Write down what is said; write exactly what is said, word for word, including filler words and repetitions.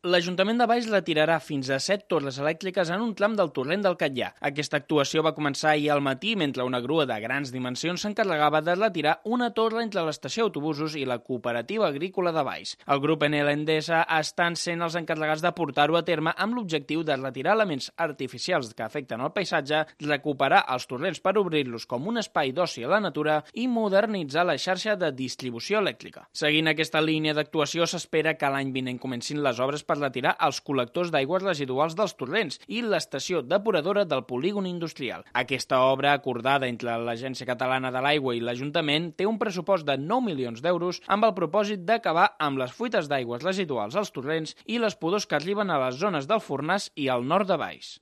L'Ajuntament de Valls retirarà fins a set torres elèctriques en un tram del torrent del Catllà. Aquesta actuació va començar ahir al matí mentre una grua de grans dimensions s'encarregava de retirar una torre entre l'estació d'autobusos i la cooperativa agrícola de Valls. El grup Enel Endesa estan sent els encarregats de portar-ho a terme amb l'objectiu de retirar elements artificials que afecten el paisatge, recuperar els torrents per obrir-los com un espai d'oci a la natura i modernitzar la xarxa de distribució elèctrica. Seguint aquesta línia d'actuació, s'espera que l'any vinent comencin les obres per retirar els col·lectors d'aigües residuals dels torrents i l'estació depuradora del polígon industrial. Aquesta obra, acordada entre l'Agència Catalana de l'Aigua i l'Ajuntament, té un pressupost de nou milions d'euros amb el propòsit d'acabar amb les fuites d'aigües residuals als torrents i les pudors que arriben a les zones del Fornàs i al nord de Valls.